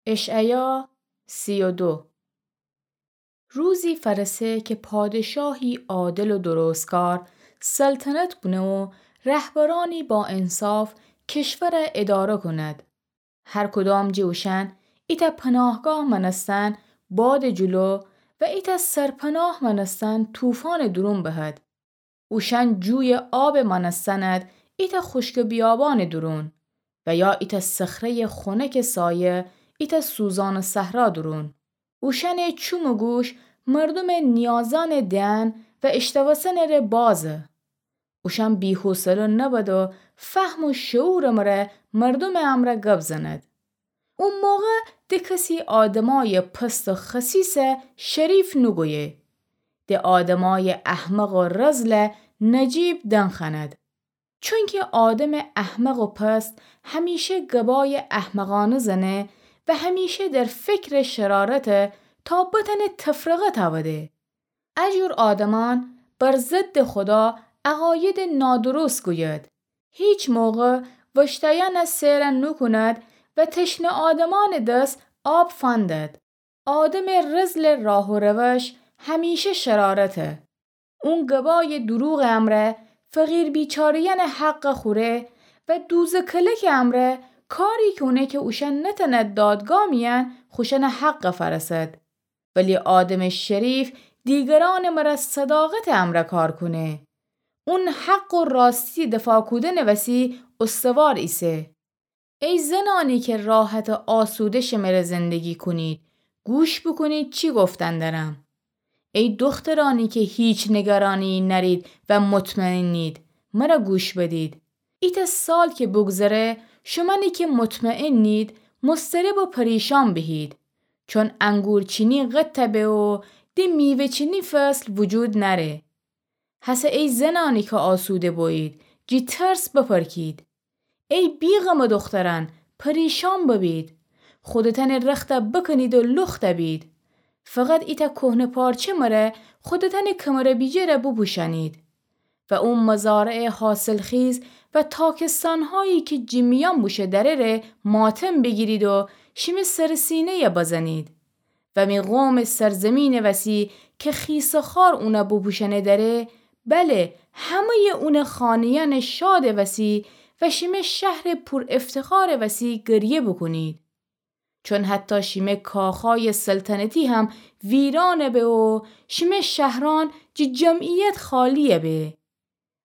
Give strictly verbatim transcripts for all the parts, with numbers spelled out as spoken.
اشعیا سی و دو. روزی فأرسه که پادشاهی عادل و درستکار سلطنت کونه و رهبرأنی با انصاف کشورَ اداره کند. هر کدام جٚه اوشأن ایتأ پناهگاه مأنستن بادٚ جلو و ایتأ سرپناه مأنستن طوفانٚ دورون بهد. اوشأن جویٚ آبٚ مأنستن اد ایتأ خوشکٚ بیابانٚ دورون و یا ایتأ صخره‌یٚ خونکٚ سایه ایتأ سوزانٚ صحرا دورون. اوشأنٚ چوم و گوش مردومٚ نیازأنٚ دئن و اشتوسنٚ ره بازه. اوشأن بی‌حوصله نبد و فهم و شعورٚ مره مردومٚ امرأ گب زند. او موقع د کسی آدمأیٚ پست و خسیسَ شریف نوگویه. د آدمأیٚ احمق و رذلَ نجیب دنخوأند. چونکه آدمٚ احمق و پست همیشه گبأیٚ احمقأنه زنه و همیشه در فکرٚ شرارته تا بتأنه تفرقه تأوده. ا جور آدمأن بر ضدٚ خودا عقایدٚ نادرست گوید. هیچ موقع وشتأیأنَ سئر نوکوند و تشنه آدمأنٚ دس آب فندد. آدمٚ رذلٚ راه و روش همیشه شرارته. اون گبایٚ دروغٚ امرأ فقیر بیچاره‌یأنٚ حقَ خوره و دوزٚ کلکٚ امرأ کاری کونه که اوشأن نتأند دادگاه میأن خوشأنٚ حقَ فأرسد. ولی آدمٚ شریف دیگرأنٚ مره صداقتٚ امرأ کار کونه. اون حق و راستی دفاع کودنٚ وسی استوار ایسه. ای زنأنی که راحت و آسوده شمره زندگی کونید، گوش بوکونید چی گفتن دأرم. ای دخترأنی که هیچ نگرانیی نأرید و مطمئنید، مره گوش بدید. ایتأ سال که بوگذره، شومأنی که مطمئنید، مضطرب و پریشان بهید. چون انگور چینی قطع به و د میوه چینی فصل وجود نأره. هسه ای زنأنی که آسوده بویید، جٚه ترس بپرکید. ای بی‌غمٚ دخترأن، پریشان ببید. خودتأنٚ رختَ بکنید و لخت بید. فقط ایتأ کهنه پارچه مره خودتأنٚ کمر و بیجه‌ره بوپوشأنید. و او مزارعٚ حاصلخیز و تاکستانهایی که جٚه میأن بوشه دره ره ماتم بیگیرید و شیمه سر سینه‌یَ بزنید. و می قومٚ سرزمینٚ وسی که خیسٚ خار اونَ بوپوشأنه دره، بله، همه‌یٚ اونٚ خانه‌یأنٚ شادٚ وسی و شیمه شهرٚ پور افتخارٚ وسی گریه بوکونید. چون حتی شیمه کاخأیٚ سلطنتی هم ویران به و شیمه شهرأن جٚه جمعیت خالی به.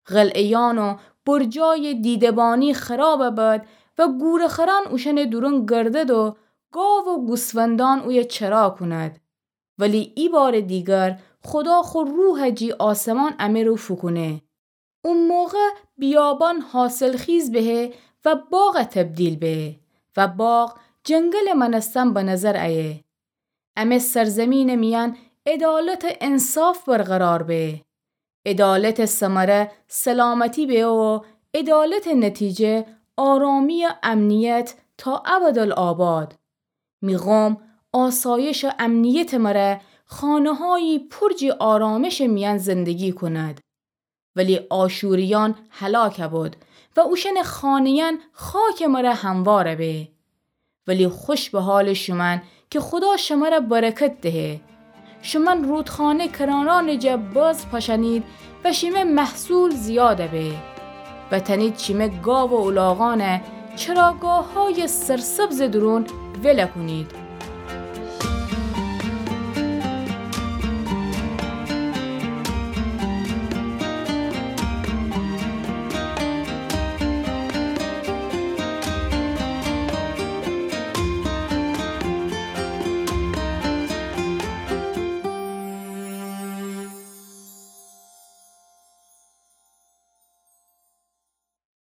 قلعه‌یأن و برجأیٚ دیده‌بانی خراب بد و گورخرأن اوشأنٚ دورون گردد و گاو و گوسفندأن اویه چرا کونید. ولی ایبارٚ دیگر خودا خو روحَ جٚه آسمان امه رو فوکونه. او موقع بیابان حاصلخیز به و باغَ تبدیل به و باغ جنگلٚ مأنستن به نظر ایه. امه سرزمینٚ میأن عدالت و انصاف برقرار به. عدالتٚ ثمره سلامتی به و عدالتٚ نتیجه آرامی و امنیت تا ابدالآباد. می قوم آسایش و امنیتٚ مره خانه‌هایی پور جٚه آرامشٚ میأن زندگی کونید. ولی آشوریأن هلاک بد و اوشأنٚ خانه‌یأن خاکٚ مره هموار به. ولی خوش به حالٚ شومأن که خودا شمره برکت دهه. شومأن رودخانه کنارأنٚ جا بذر پاشأنید و شیمه محصول زیاد به. و تأنید شیمه گاو و الاغأنَ چراگاه‌هایٚ سرسبزٚ دورون ول کونید.